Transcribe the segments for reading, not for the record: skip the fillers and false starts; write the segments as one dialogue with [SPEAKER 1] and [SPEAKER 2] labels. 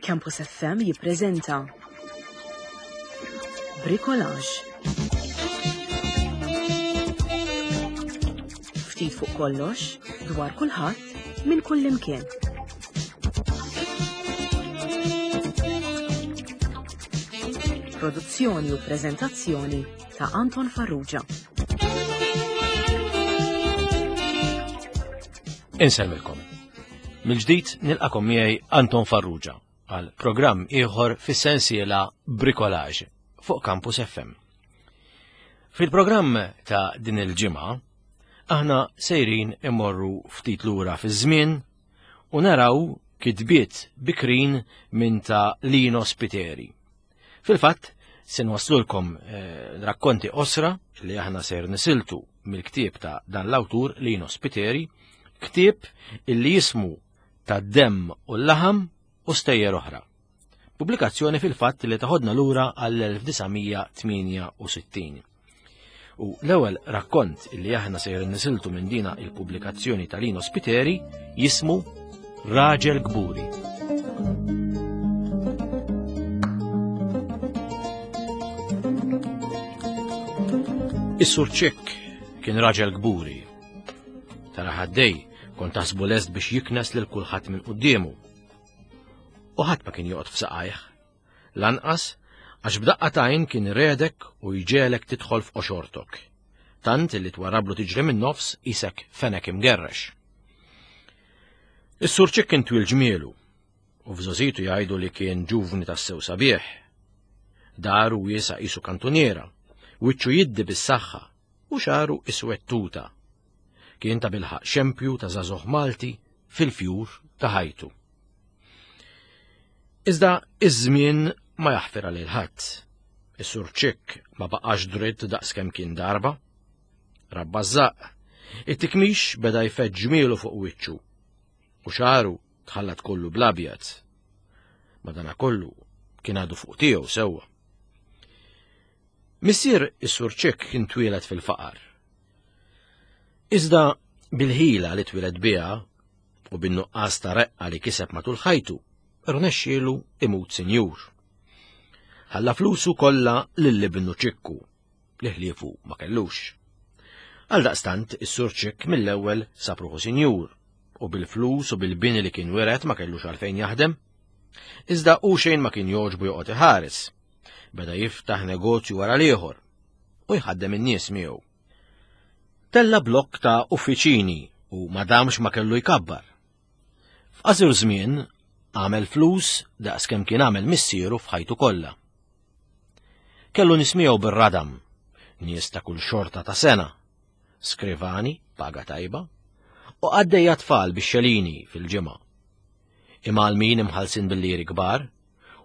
[SPEAKER 1] Campus FM jippreżenta Bricolage. Ftit fuq kollox, dwar kulħadd, minn kullimkien. Produzzjoni u preżentazzjoni ta' Anton Farrugia.
[SPEAKER 2] Insellmilkom. Mill-ġdid nilqakom miegħi Anton Farrugia għal programm ieħor fis-sensiela Bricolage fuq Campus FM. Fil-programm ta' din il-ġimgħa aħna sejrin imorru ftit lura fiż-żmien u naraw kitbiet bikrin minn ta' Lino Spiteri. Fil-fatt, se nwaslulkom eh, rakkonti osra li aħna ser nisiltu mill-ktieb ta' dan l-awtur Lino Spiteri, ktieb illi jismu ta' demm u l-laħam u stejjer oħra. Pubblikazzjoni fil-fatt li taħodna lura għall-1968. U l-ewwel rakkont li aħna sejr nisiltu minn dina il-pubblikazzjoni ta' Lino Spiteri jismu Raġel Gburi. Is-Sur Ċikk kien raġel gburi. Tara ħaddej kont taħsbu lest biex jiknes lil kulħadd minn quddiemu. U ħadd ma kien joqgħod f'saqajh. Lanqas għax b'daqqa t'għajn kien iredek u jġegħlek tidħol f'qoxortok. Tant li twarrablu tiġri min-nofs qisek fenek imgerrex. Is-Sur Ċikk kien twil ġmielu u f'żgħożitu jgħidu li kien ġuvni tassew sabiħ. Daru wiesa' qisu kantuniera, wiċċu jiddi bis-saħħa u xagħru iswed tuta. Kien tabilħaqq xempju ta' żagħżugħ Malti fil-fjur ta' ħajtu. Iżda iż-żmien ma jaħfir għal ħadd. Is-Sur Ċikk ma baqax dritt daqskemm kien darba. Rabba żaq. It-tikmix beda jfeġġ ġmielu fuq wiċċu u xaru tħallat kollu bl-abjad. Madanakollu kien għadu fuq tiegħu sewwa. Missier is-Sur Ċikk kien twieled fil-faqar. Iżda bil-ħila li twieled biha u bin-nuqqas ta' reqqa li kiseb matul ħajtu, rnexxielu imut sinjur. Ħalla flusu kollha lil ibnu Ċikku, li ħliefu ma kellux. Għaldaqstant is-Sur Ċikk mill-ewwel sab ruħu sinjur u bil-flus u bil-bini li kien wiret ma kellux għalfejn jaħdem. Iżda hu xejn ma kien jogħġbu joqgħod iħares. Beda jiftaħ negozju wara l-ieħor u jħaddem in-nies miegħu. Tella blokk ta' uffiċini u ma damx ma kellu jkabbar. F'qasir żmien għamel flus daqs kemm kien għamel missieru f'ħajtu kollha. Kellu nies miegħu bir-radam, nies ta' kull xorta ta' sena, skrivani, paga tajba, u qaddejja tfal bix-xelini fil-ġimgħa. Imgħallmin imħallsin bil-liri kbar,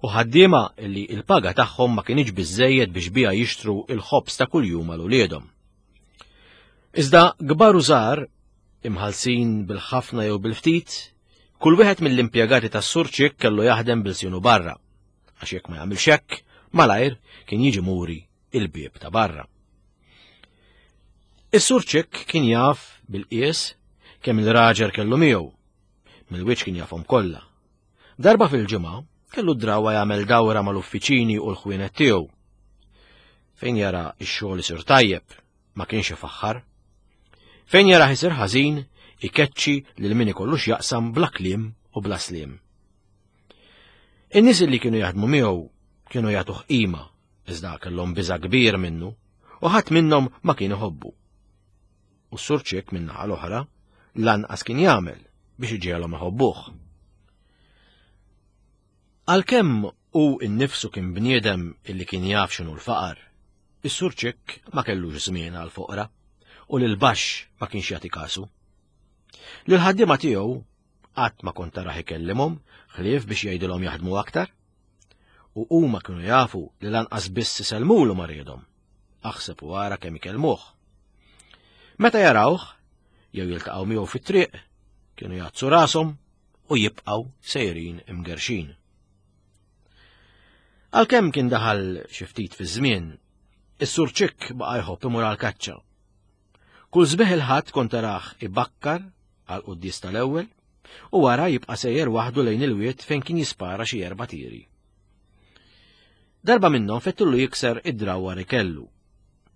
[SPEAKER 2] u ħaddiema li l-paga tagħhom ma kinitx biżżejjed biex biha jixtru l-ħobż ta' kuljum għal uliedhom. Iżda kbar u żgħar, imħallsin bil-ħafna jew bil-ftit, kull wieħed mill-impjegati tas-Sur Ċikk kellu jaħdem bil-sienu barra, għax jekk ma jagħmilx hekk, malajr kien jiġi muri il-bieb ta' barra. Is-Sur Ċikk kien jaf bil-qies kemm il-raġel kellu miegħu, mill-wiċċ kien jafhom kollha. Darba fil-ġimgħa kellu d-drawwa jagħmel dawra mal-uffiċini u l-ħwienet tiegħu. Fejn jara x-xogħol isir tajjeb, ma kienx ifaħħar. Fejn jarah isir ħażin, ikeċċi lil min ikollu x'jaqsam bla kliem u bla sliem. In-nies li kienu jaħdmu miegħu kienu jagħtuh qima, iżda kellhom biża' kbir minnu u ħadd minnhom ma kien iħobbu. U s-Sur Ċikk min-naħa l-oħra lanqas kien jagħmel biex iġiegħlhom iħobbuh. Għalkemm hu nnifsu kien bniedem illi kien jaf x'inhu l-faqar, is-Sur Ċikk ma kellux żmien għall-foqra u lil baxx ma kienx jagħti kasu. Lil ħaddiema tiegħu qatt ma kont tarah ikellimhom ħlief biex jgħidilhom jaħdmu aktar. U huma kienu jafu li lanqas biss isellmulu ma riedhom. Aħseb u ara kemm ikellmuh. Meta jarawh, jew jiltaqgħu miegħu fit-triq, kienu jgħaddsu rashom u jibqgħu sejrin imgerxin. Għalkemm kien daħal xi ftit fiż-żmien, is-Sur Ċikk baqa' jħobb imur għall-kaċċa. Kull sbieħ il-Ħadd kont tarah ibakkar għal quddies tal-ewwel. U wara jibqa' sejjer waħdu lejn il-wied fejn kien jispara xi erba' tiri. Darba minnhom fettullu jikser id-drawwa li kellu.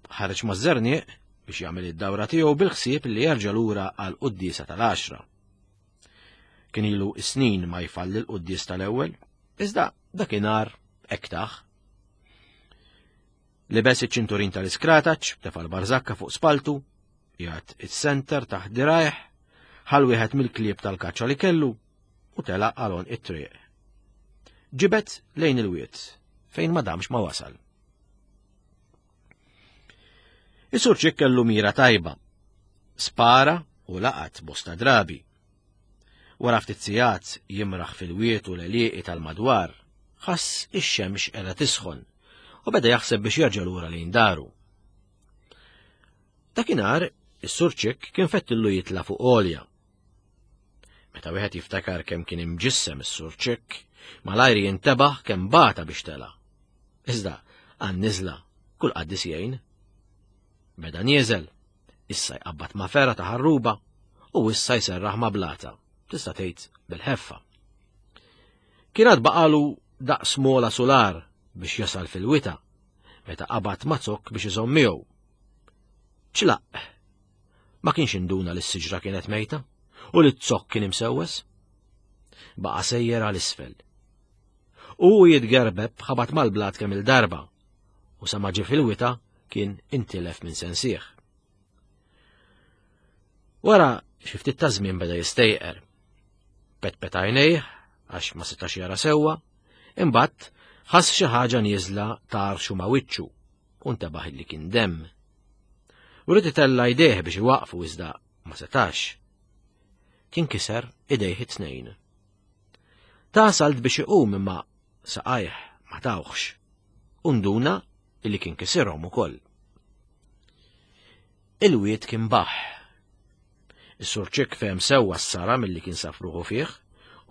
[SPEAKER 2] Ħareġ maż-żerniq biex jagħmel id-dawra tiegħu bil-ħsieb li jerġa' lura għal quddiesa tal-għaxra. Kien ilu snin ma jfalli l-quddies tal-ewwel, iżda dakinhar hekk tah. Libes iċ-ċinturin tal-iskrataċ, tefa' l-barżakka fuq spaltu, jgħat is-senter taħt dirajh, ħal wieħed mill-klieb tal-kaċċa li kellu u telaq għalon it-triq. Ġibet lejn il-wied, fejn ma damx ma wasal. Is-sur Ċikk kellu mira tajba. Spara u laqat bosta drabi. Wara ftit sigħat jimraħ fil-wied u l-għelieqi tal-madwar, ħass ix-xemx qiegħda tisħon u beda jaħseb biex jerġa' lura lejn daru. Dakinhar, is-Sur Ċikk kien fettillu jitla' fuq għolja. Meta wieħed jiftakar kemm kien imġissem is-Sur Ċikk, malajr jintebaħ kemm bata biex tela'. Iżda, għan-niżla, kull qaddis jgħin. Beda nieżel, issa jqabbad ma' fera ta' ħarruba u issa jserraħ ma' blata, tista' tgħid bil-ħeffa. Kien għad baqalu daqs mola sular biex jasal fil-wita, meta qabad ma' zokk biex iżomm miegħu. Ċlaq! Ma kienx induna li s-siġra kienet mejta u li z-zokk kien imsewwes. Baqa' sejjer għal isfel. U jitgerbeb ħabat mal-blat kemm il-darba u sa ma ġie fil-wita kien intilef minn sensih. Wara xi ftit ta' żmien beda jistejqer. Petpet għajnejh għax ma setax jara sewwa, imbagħad ħass xi ħaġa nieżla tarxu ma' wiċċu u ntebaħ li kien demm. U rid itella' jdejh biex iwaqfu iżda ma setax. Kien kiser idejh it-tnejn. Ta salt biex iqum imma saqajh ma tawħx. U nduna illi kien kisirhom ukoll. Il-wied kien baħ. Is-Sur Ċikk fehem sewwa s-sara milli kien saf ruħu fih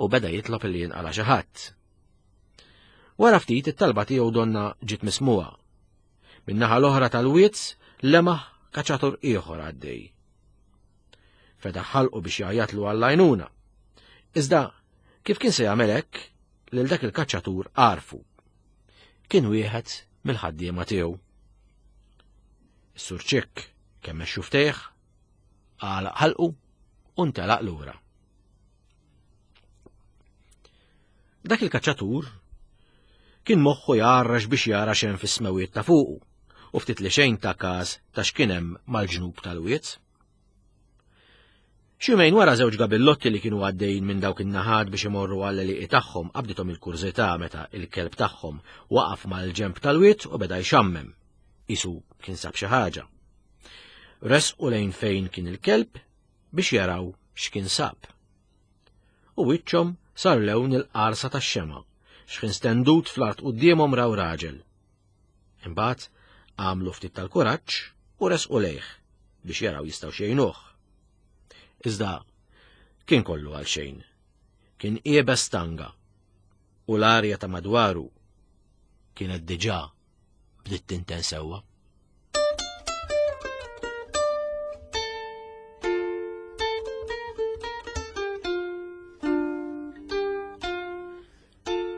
[SPEAKER 2] u beda jitlob illi jinqala xi ħadd. Wara ftit it-talba tiegħu donna ġiet mismuha. Min-naħa l-oħra tal-wied lemaħ kaċatur ieħor għaddej. Fetaħ ħalqu biex jgħajjatlu għall-għajnuna. Iżda, kif kien se jagħmel hekk, lil dak il-kaċċatur għarfu. Kien wieħed mill-ħaddiema tiegħu. Is-Sur Ċikk kemm xuftejh, għalaq ħalqu u ntelaq lura. Dak il-kaċċatur kien moħħu jgħarrax biex jara x'hemm fis-smewiet ta' fuqu u ftit li xejn ta' każ ta' x'kien hemm mal-ġnub tal-wied. Xi jumejn wara żewġ gabillotti li kienu għaddejjin minn dawk in-naħat biex imorru għall-għelieqi tagħhom qabdithom il-kurżità meta il-kelb tagħhom waqaf mal-ġenb tal-wied u beda jxammem. Qisu kien sab xi ħaġa. Resqu lejn fejn kien il-kelb biex jaraw x'kien sab. U wiċċhom sar lewn il-qarsa tax-xemgħa, x'ħin stendut fl-art quddiemhom raw raġel. Imbagħad għamlu ftit tal-kuraġġ u resqu lejh biex jaraw jistgħu xejnuh. Iżda kien kollu għal xejn. Kien iebes tanga u l-arja ta' madwaru kienet diġà bdiet tinten sewwa.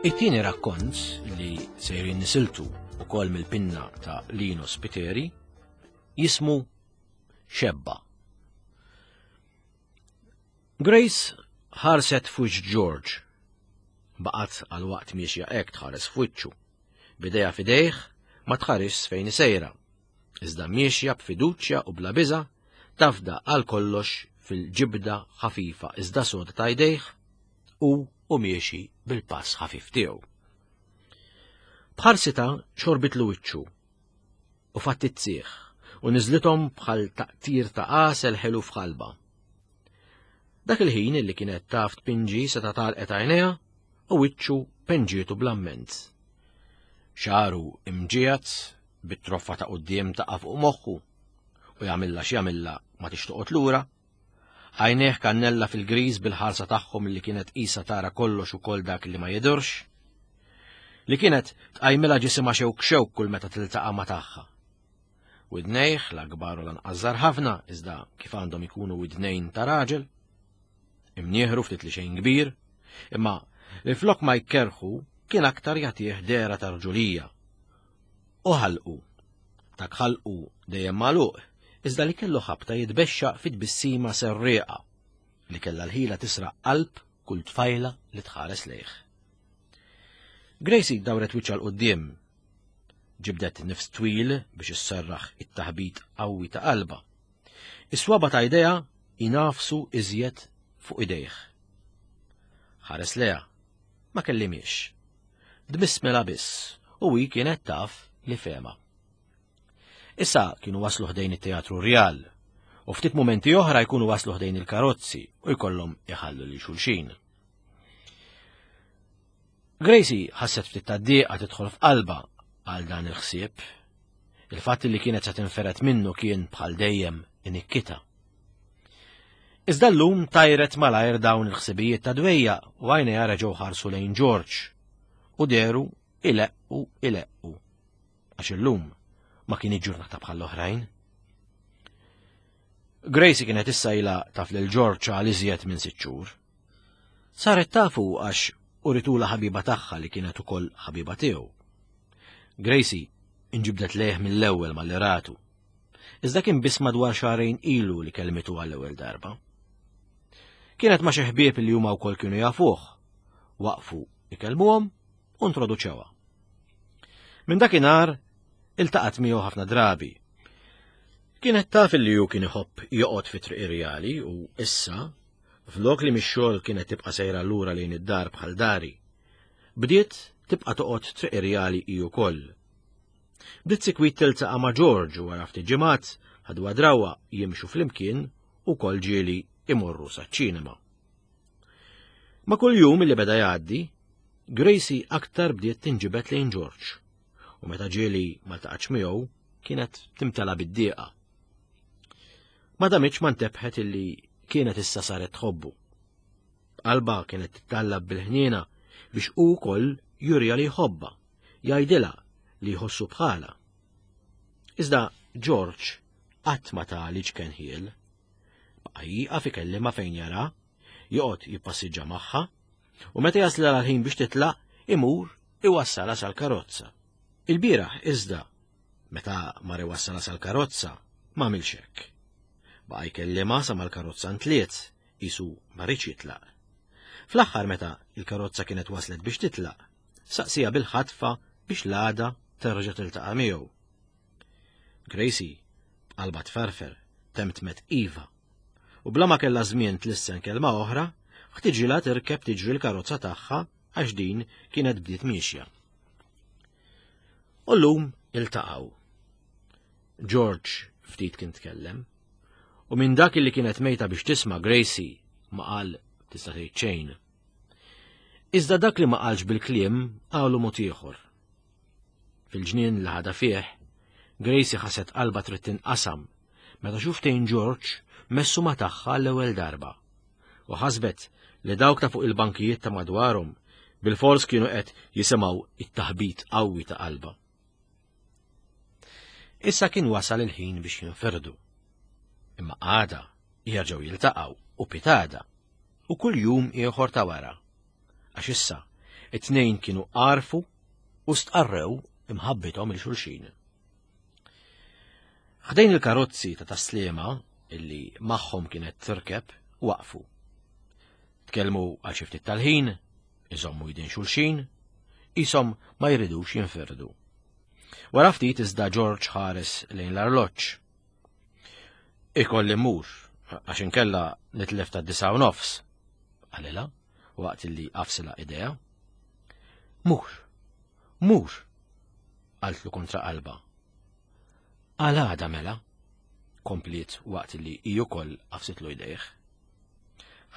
[SPEAKER 2] It-tieni rakkont li sejrin nisiltu ukoll mill-pinna ta' Lino Spiteri jismu Xebba. Grace ħarset f'wiċċ George. Baqgħet għal waqt miexja hekk tħares f'wiċċu. B'idejha f'idejh ma tħarisx fejn sejra. Iżda miexja b'fiduċja u bla biża' tafda għal kollox fil-ġibda ħafifa iżda soda ta' jdejh u u miexi bil-pass ħafif tiegħu. B'ħarsitha xorbitlu wiċċu u fattizzih u niżlithom bħal taqtir ta' għasel ħelu f'ħalba. Dak il-ħin illi kienet taf tpinġi seta' talqet għajnejha u wiċċu penġietu bl-amment. Xaru imġiegħed bit-troffa ta' quddiem taqa' fuq moħħu u jagħmilha x'jagħmilha ma tixtoqgħod lura. Għajnejh kannella fil-griż bil-ħarsa tagħhom li kienet qisha tara kollox ukoll dak li ma jidhirx. Li kienet tqajmilha ġisimha xewk xewk kull meta tiltaqa' ma' tagħha. Widnejh la kbar u lanqas żgħar ħafna, iżda kif għandhom ikunu widnejn ta' raġel. Imnieħru ftit li xejn kbir, imma li flok ma jkerħu kien aktar jagħtih dehra ta' rġulija. U ħalqu. Dak ħalqu dejjem magħluq, iżda li kellu ħabta jitbexxaq fi tbissima serrieqa li kellha l-ħila tisraq qalb kull tfajla li tħares lejh. Gracie dawret wiċċha 'l quddiem. Ġibdet nifs twil biex isserraħ it-taħbit qawwi ta' qalbha. Is-swaba ta' idejha jnafsu iżjed fuq idejh. Ħares leha, ma kellimiex. Tbissmilha biss u hi kienet taf li fehma. Issa kienu waslu ħdejn it-Teatru Rjal u ftit mumenti oħra jkunu waslu ħdejn il-karozzi u jkollhom iħallu lil xulxin. Gracie ħasset ftit ta' dieqa tidħol f'qalba għal dan il-ħsieb. Il-fatt li kienet se tinferet minnu kien bħal dejjem inikkita. Iżda llum tajret malajr dawn il-ħsibijiet ta' dwejja u għajnejha reġgħu ħarsu lejn George u deru ileqqu ileqqu. Għax illum ma kien ġurnata bħall-oħrajn. Gracie kienet issa ilha taf lil George għal iżjed minn sitt xhur. Saret tafu għax uritula ħabiba tagħha li kienet ukoll ħabiba tiegħu. Gracie inġibdet lejh mill-ewwel malli ratu. Iżda kien biss madwar xahrejn ilu li kellmitu għall-ewwel darba. Kienet ma' xi ħbieb li huma wkoll kienu jafuh. Waqfu ikellmuhom u introduċewha. Minn dakinhar iltaqgħet miegħu ħafna drabi. Kienet taf li hu kien iħobb joqgħod fi Triq Irjali u issa, flok li mix-xogħol kienet tibqa' sejra lura lejn id-dar bħal dari, bdiet tibqa' toqgħod Triq Irjali hi wkoll. Bdiet sikwit tiltaqa' ma' George u wara ftit ġimgħat ħadwa drawwa jimxu flimkien u wkoll ġieli imorru saċ-ċinema. Ma' kull jum li beda jgħaddi, Gracie aktar bdiet tinġibed lejn George u meta ġieli ma ltaqatx miegħu kienet timtela bid-dieqa. Ma damitx ma ntebħet illi kienet issa saret tħobbu. Qalba kienet tittallab bil-ħniena biex hu wkoll jurja li jħobba, jgħidilha li jħossu bħala. Iżda George qatt ma ta li ċken ħiel. Baqa' jieqaf ikellimha fejn jara, joqgħod jippassiġġa magħha, u meta jaslilha l-ħin biex titlaq, imur iwassalha sal-karozza. Il-bieraħ iżda, meta mar iwassalha sal-karozza, ma għamilx hekk. Baqa' jkellimha sa mal-karozza ntliet, qisu ma riedx jitlaq. Fl-aħħar meta l-karozza kienet waslet biex titlaq, saqsieha bil-ħatfa biex l-għada terġa' tiltaqa' miegħu. Gracie, b'qalbha tferfer, temtmet iva. U bla ma kellha żmien tlissen kelma oħra, ħtiġilha tirkeb tiġri l-karozza tagħha għax din kienet bdiet miexja. U llum iltaqgħu. George ftit kien tkellem, u minn dak li kienet mejta biex tisma' Gracie ma qal tista' tgħid xejn. Iżda dak li ma qalx bil-kliem qalu mod ieħor. Fil-ġnien li ħadha fih, Gracie ħasset qalbha trid tinqasam meta xuftejn George messu ma tagħha l-ewwel darba. U ħasbet li dawk ta' fuq il-bankijiet ta' madwarhom bilfors kienu qed jisimgħu it-taħbit qawwi ta' qalbha. Issa kien wasal il-ħin biex jinfirdu. Imma għada jerġgħu jiltaqgħu u pitada u kull jum ieħor ta' wara. Għax issa it-tnejn kienu għarfu u stqarrew imħabbithom il xulxin. Ħdejn il-karozzi ta' taslima illi magħhom kienet tirkeb waqfu. Tkellmu għal xi ftit tal-ħin, iżommu jdin xulxin, qishom ma jridux jinfirdu. Wara ftit iżda George ħares lejn l-arloġġ. Ikolli mmur, għax inkella nitlef ta' 9:30, qalilha waqt li qafsilha idea. Mur, mur, qaltlu kontra qalba. Għal għada mela, kompliet waqt li hi wkoll qafsitlu jdejh.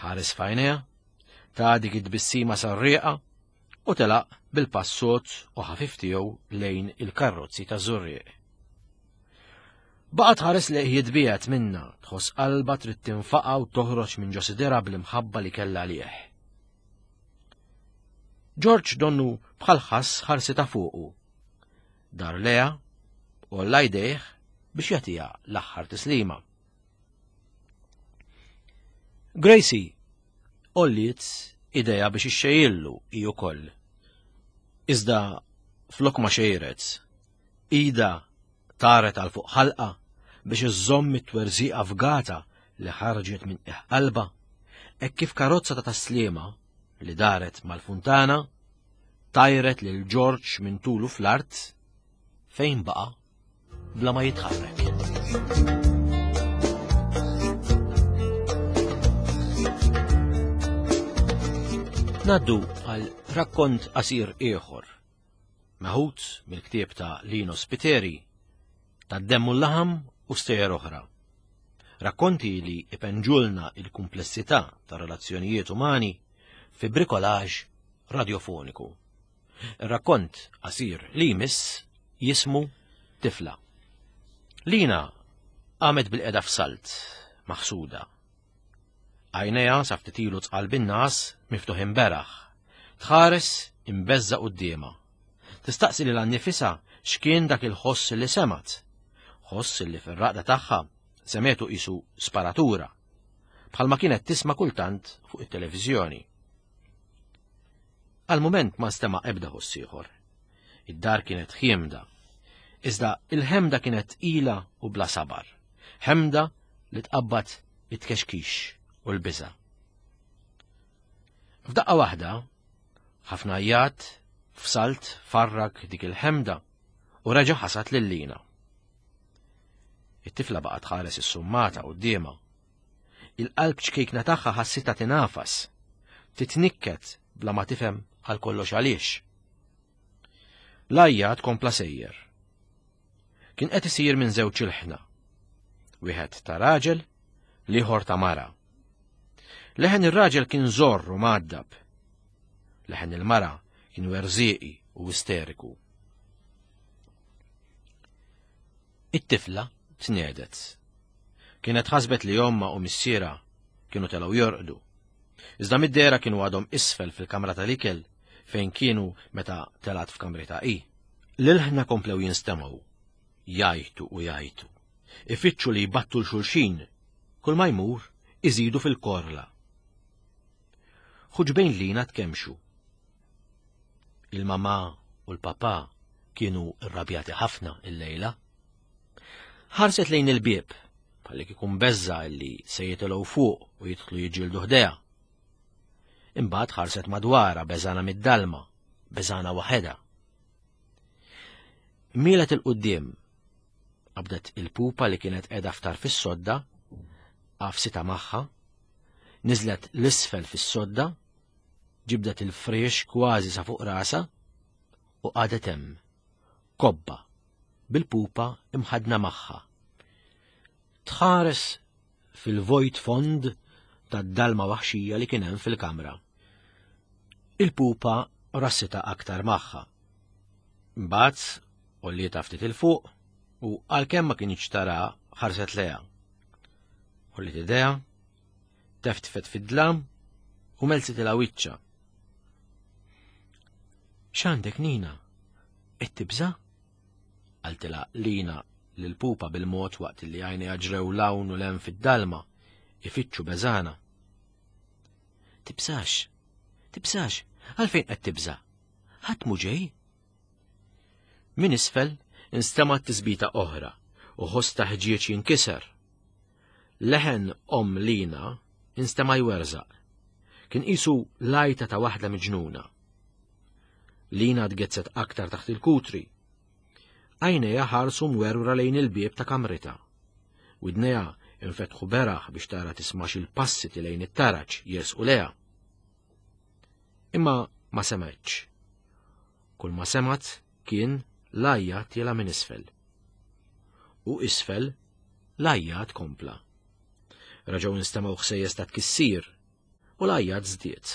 [SPEAKER 2] Ħares f'għajnejha, ta' dik it-tbissima sarrieqa u telaq bil-pass sod u ħafif tiegħu lejn il-karrozzi ta' Żurrieq. Baqgħet tħares lejh jitbiegħed minnha, tħoss qalbha trid tinfaqa' u toħroġ minn ġo sidirha bl-imħabba li kellha għalih. George donnu bħal ħass ħarsitha fuqu. Dar leha, għolla jdejh biex jagħtiha l-aħħar tislima. Gracie. Għolliet idejha biex ixxejjillu hi wkoll. Iżda flok ma xejret, idha taret għal fuq ħalqa biex iżżomm it-twerżiqa fgata li ħarġet minn qiegħ qalbha, hekk kif karozza ta' taslima li daret mal-funtana tajret lil Ġorġ minn tulu fl-art fejn baqa' bla ma jitħarrek. Naddu għal rakkont qasir ieħor, meħud mill-ktieb ta' Lino Spiteri, ta' Demmu l-laħam u stejjer oħra. Rakkonti li ipenġulna il-kumplessità ta' relazzjonijiet umani fi brikolaġ radiofoniku. Ir-rakkont qasir li jmiss jismu Tifla. Lina qamet bil-qeda f'salt, maħsuda. Għajnejha sa ftit ilu tqal bin-nas miftuħin beraħ. Tħares imbeżża quddiemha. Tistaqsi lilha nnifisha x'kien dak il-ħoss li semgħet. Ħoss li fir-raqda tagħha semgħetu qisu sparatura, bħalma kienet tisma' kultant fuq it-televiżjoni. Għal mument ma nstema' ebda ħoss ieħor. Id-dar kienet ħiemda. Iżda il-ħemda kienet tqila u bla sabar. Ħemda li tqabbad it-tkexkix u l-biża'. F'daqqa waħda, ħafna għajjat f'salt farrak dik il-ħemda u reġa' ħasad lil Lina. It-tifla baqgħet tħares is-summata quddiemha. Il-qalb ċkejkna tagħha ħassitha tingħafas, titnikket bla ma tifhem għal kollox għaliex. L-għajjat kompla sejjer. Kien qed isir minn żewġ ilħna. Wieħed ta' raġel, l-ieħor ta' mara. Leħen ir-raġel kien żorr u mgħaddab. Leħen il-mara kien werżieqi u isteriku. It-tifla tniedet. Kienet ħasbet li ommha u missierha kienu telgħu jorqdu. Iżda mid-dehra kienu għadhom isfel fil-kamra tal-ikel fejn kienu meta telgħet f'kamritha hi. L-ilħna komplew jinstemgħu, jgħajtu u jgħajtu, ifittxu li jbattu 'l xulxin, kull ma jmur iżidu fil-korla. Ħuġbejn Lina tkemmxu. Il-mamà u l-papà kienu rrabjati ħafna illejla. Ħarset lejn il-bieb, bħalli kieku mbeżża' li se jitilgħu fuq u jidħlu jiġġieldu ħdejha. Imbagħad ħarset madwarha beżgħana mid-dalma, beżgħana waħedha. Mielet il-quddiem, qabdet il-pupa li kienet qiegħda ftar fis-sodda, għafsitha magħha, niżlet l-isfel fis-sodda, ġibdet il-friex kważi sa fuq rasha u qagħdet hemm, kobba, bil-pupa imħaddna magħha. Tħares fil-vojt fond tad-dalma waħxija li kien hemm fil-kamra. Il-pupa rassitha aktar magħha. Imbagħad għollietha ftit 'il fuq u għalkemm ma kinitx tara ħarset lejha. Għolliet idejha, teftfet fid-dlam u melsitilha wiċċha. X'għandek Nina? Qed tibża'? Qaltilha Lina lill-pupa bil-mod waqt li għajnejha ġrew 'l hawn u 'l hemm fid-dalma, ifittxu beżgħana. Tibżax, tibżax, għalfejn qed tibża'? Ħadd mhu ġej? Minn isfel instemgħet tisbita oħra u ħoss ta' ħġieġ jinkiser. Leħen omm Lina instema' jwerżaq. Kien qisu l-għajta ta' waħda miġnuna. Lina tgezzet aktar taħt il-kutri. Għajnejha ħarsu mwerwra lejn il-bieb ta' kamritha. Widnejha infetħu beraħ biex tara tismax il-passi lejn it-taraġ jersqu lejha. Imma ma semgħetx. Kull ma semgħet kien l-għajjat tiela' minn isfel. U isfel l-għajjat kompla. Reġgħu instemgħu ħsejjes ta' tkissir u l-għajjat żdied.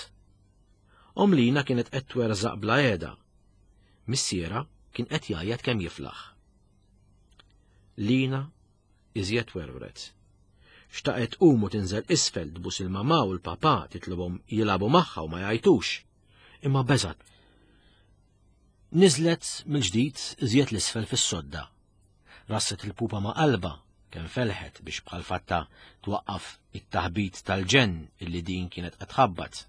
[SPEAKER 2] Omm Lina kienet qed twerżaq bla qiegħda. Missierha kien qed jgħajjat kemm jiflaħ. Lina iżjed werwret. Xtaqet tqum u tinżel isfel tbus il-mamà u l-papà titlobhom jilagħbu magħha u ma jgħajtux. Imma beżgħet. Niżlet mill-ġdid iżjed l-isfel fis-sodda. Rasset il-pupa ma' qalbha. Kemm felħet biex bħal fatta twaqqaf it-taħbit tal-ġenn illi din kienet qed tħabbat.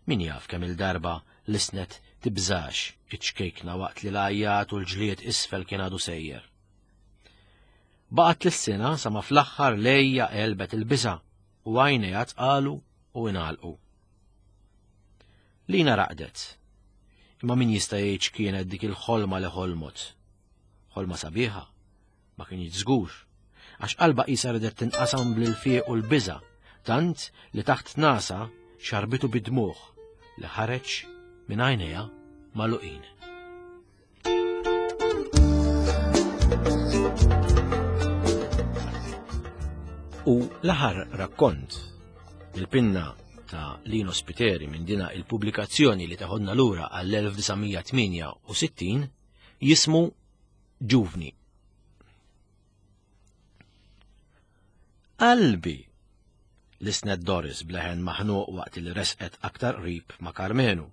[SPEAKER 2] Min jaf kemm il-darba lisnet tibżax iċ-ċkejkna waqt li l-għajjat u l-ġlied isfel kien għadu sejjer. Baqgħet tlissina sa ma fl-aħħar lejja għelbet il-biża' u għajnejha tqalu u ingħalqu. Lina raqdet. Imma min jista' jgħid x'kienet dik il-ħolma li ħolmot? Ħolma sabiħa? Ma kienx żgur. Għax qalba qisha ridet tinqasam bl-ilfieq u l-biża', tant li taħt nasa xarbitu bid-dmugħ li ħareġ minn għajnejha magħluqin. U l-aħħar rakkont il-pinna ta' Lino Spiteri minn dina il-pubblikazzjoni li taħodna lura għall-1968 jismu Ġuvni. Qalbi! Lisnet Doris bleħen maħnuq waqt li resqet aktar qrib ma' Karmenu.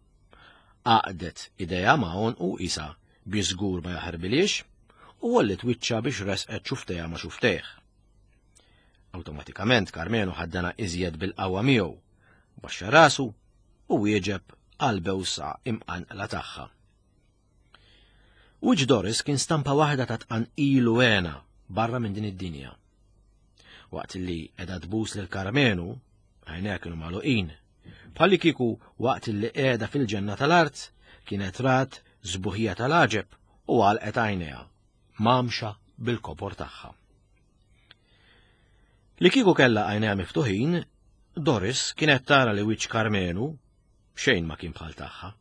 [SPEAKER 2] Għaqdet idejha ma' għonqu qisha biex żgur ma jaħarbilhiex u għolliet wiċċha biex resqet xuftejha ma' xuftejh. Awtomatikament Karmenu ħaddana iżjed bil-qawwa miegħu, baxxa rasu u wieġeb għal bewsa imqanqla tagħha. Wiċċ Doris kien stampa waħda ta' tqanqil u hena barra minn din id-dinja. Waqt li qiegħda tbus lil Karmenu, għajnejha kienu magħluqin. Bħalli kieku waqt li qiegħda fil-ġenna tal-art kienet rat żbuħija tal-għaġeb u għalqet għajnejha, mamxa bil-kobor tagħha. Li kieku kellha għajnejha miftuħin, Doris kienet tara li wiċċ Karmenu xejn ma kien bħal tagħha.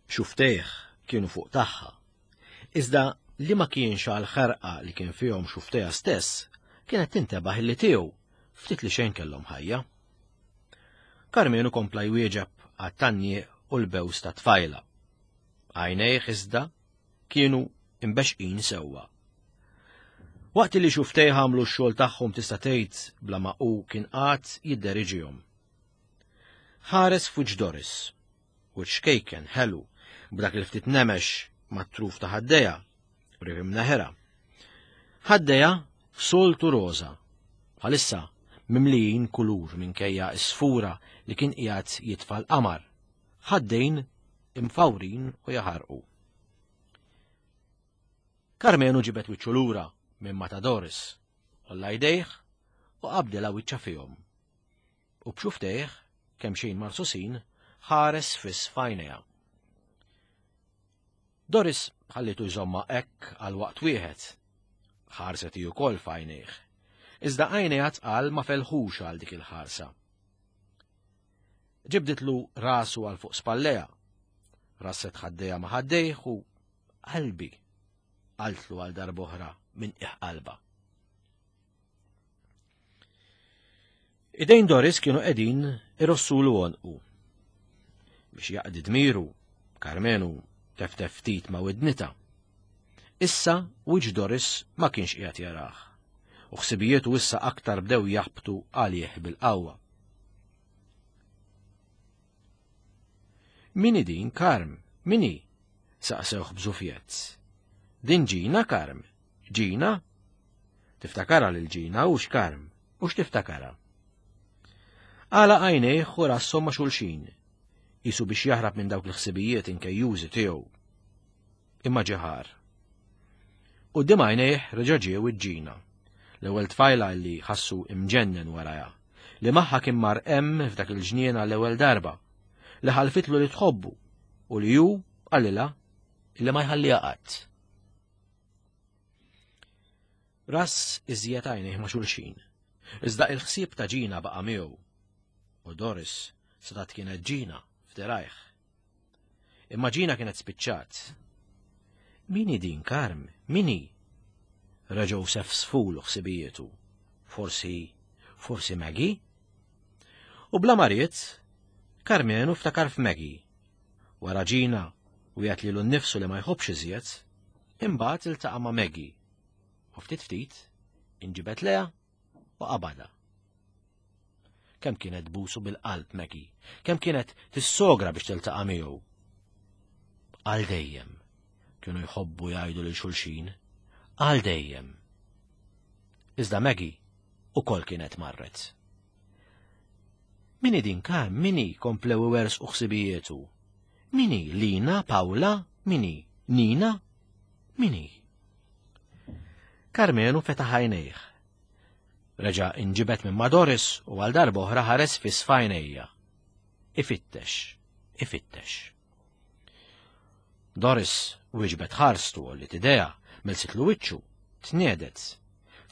[SPEAKER 2] Xuftejh kienu fuq tagħha. Iżda li ma kienx għal ħerqa li kien fihom xuftejha stess, kienet tintebaħ illi tiegħu ftit li xejn kellhom ħajja. Karmenu kompla jwieġeb għat-tannjiq u l-bews ta' tfajla. Għajnejh iżda kienu imbexqin sewwa. Waqt li xuftejh għamlu x-xogħol tagħhom tista' tgħid bla ma hu kien qagħad jidderiġihom. Ħares f'wiċċ Doris u ċkejken ħelu b'dak il-ftit nemex mat-truf ta' ħaddejha, qrib imneħirha. Ħaddejha soltu roża, bħalissa mimlijin kulur minkejja s-sfura li kien qiegħed jitfa' l-qamar, ħaddejn imfawrin u jaħarqu. Karmenu ġibed wiċċu lura minn ma ta' Doris, għolla jdejh u qabdilha wiċċha fihom. U b'xuftejh, kemxejn marsusin, ħares fiss f'għajnejha. Doris ħallitu jżommha hekk għal waqt wieħed. Ħarset hi wkoll f'għajnejh. Iżda għajnejha tqal ma felħux għal dik il-ħarsa. Ġibditlu rasu għal fuq spalleja. Rasset ħaddejha ma' ħaddejh u qalbi qaltlu għal darb'oħra minn qiegħ qalbha. Idejn Doris kienu qegħdin irossulu għonqu. Biex jaqdi dmiru, Karmenu teftef ftit ma' widnita. Issa wiċċ Doris ma kienx qiegħed jarah, u ħsibijietu issa aktar bdew jaħbtu għalih bil-qawwa. Min hi din, Karm? Min hi? saqsewh b'żufjett. Din Ġina, Karm? Ġina? Tiftakarha lil Ġina hux Karm, hux tiftakarha? Għalaq għajnejh u rasshom ma' xulxin, qisu biex jaħrab minn dawk il-ħsibijiet inkejjużi tiegħu. Imma ġie ħar. Quddiem għajnejh reġa' ġiew iġ-Ġina, l-ewwel tfajla li ħassu imġennen warajha, li magħha kien mar hemm f'dak il-ġnien għall-ewwel darba, li ħalfitlu li tħobbu u li hu qalilha li ma jħalliha qatt. Ras iżjed għajnejh ma' xulxin. Iżda il-ħsieb ta' Ġina baqa' miegħu. U Doris setgħet kienet Ġina f'dirajh. Imma Ġina kienet spiċċat. Min hi din, Karm? Min hi? Reġgħu sefsfulu ħsibijietu. Forsi, forsi Maggie? U bla ma ried, Karmenu ftakar f'Maggie. Wara Ġina, wiegħed lilu nnifsu li ma jħobbx iżjed, imbagħad iltaqa' ma' Maggie. U ftit ftit, inġibed leha u qabadha. Kemm kienet tbusu bil-qalb Maggie, kemm kienet tissogra biex tiltaqa' miegħu. Għal dejjem, kienu jħobbu jgħidu lil xulxin, għal dejjem. Iżda Maggie ukoll kienet marret. Min hi din Karm, min hi? komplew iwerżqu ħsibijietu. Min hi? Lina, Pawla, min hi? Nina? Min hi? Karmenu fetaħ għajnejh. Reġa' inġibed minn ma' Doris u għal darba oħra ħares fiss f'għajnejja. Ifittex, ifittex. Doris wieġbet ħarstu u li tidea, melsitlu wiċċu, tniedet.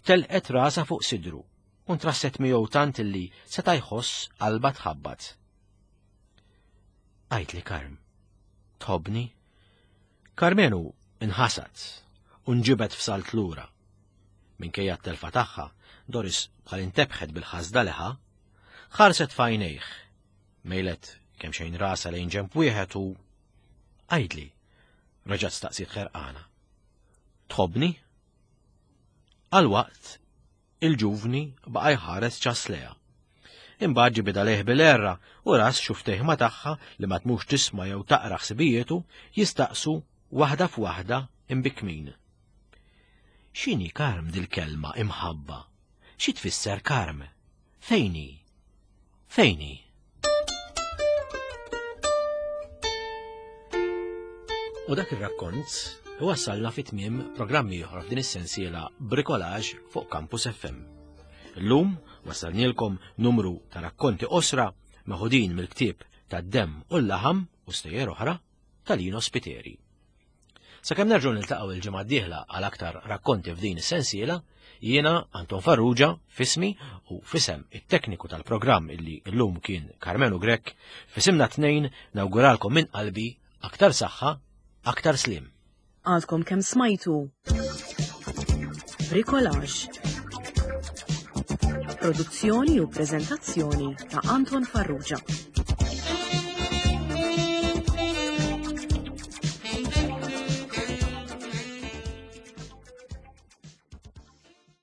[SPEAKER 2] Telqet rasa fuq sidru u ntrasset miegħu tant illi seta' jħoss qalba tħabbat. Għidli Karm, tħobbni? Karmenu inħasad u nġibed f'salt lura. Minkejja t-telfa tagħha, Doris bħal intebħet bil-ħasda li ħa, ħarset f'għajnejh. Mejlet kemm xejn rasa lejn ġemp wieħed u għidli, reġgħet staqsiet ħerqana. Tħobbni? Għal waqt Il-ġuvni baqa' jħares ċass lejha. Imbagħad ġibidha lejh bil-għerra u ras xuftejh ma' tagħha li ma tmux tisma' jew taqra ħsibijietu jistaqsu waħda f'waħda imbikkmin. X'inhi Karm dil-kelma imħabba? Xi tfisser Karm? Fejn hi? Fejn hi? U dak ir-rakkont wassalna fi tmiem programmi oħra f'din is-sensiela Bricolage fuq Campus FM. Illum wassalnielkom numru ta' rakkonti qosra meħudin mill-ktieb tad-demm u l-laħam u stejjer oħra ta' Lino Spiteri. Sakemm nerġgħu niltaqgħu il-ġimgħa d-dieħla għal aktar rakkonti f'din is-sensiela, jiena Anton Farrugia fismi u fisem it-tekniku tal-programm illi llum kien Karmenu Grech, fisimna tnejn nawguralkom minn qalbi aktar saħħa, aktar slim.
[SPEAKER 1] Għadkom kemm smajtu Bricolage. Produzzjoni u preżentazzjoni ta' Anton Farrugia.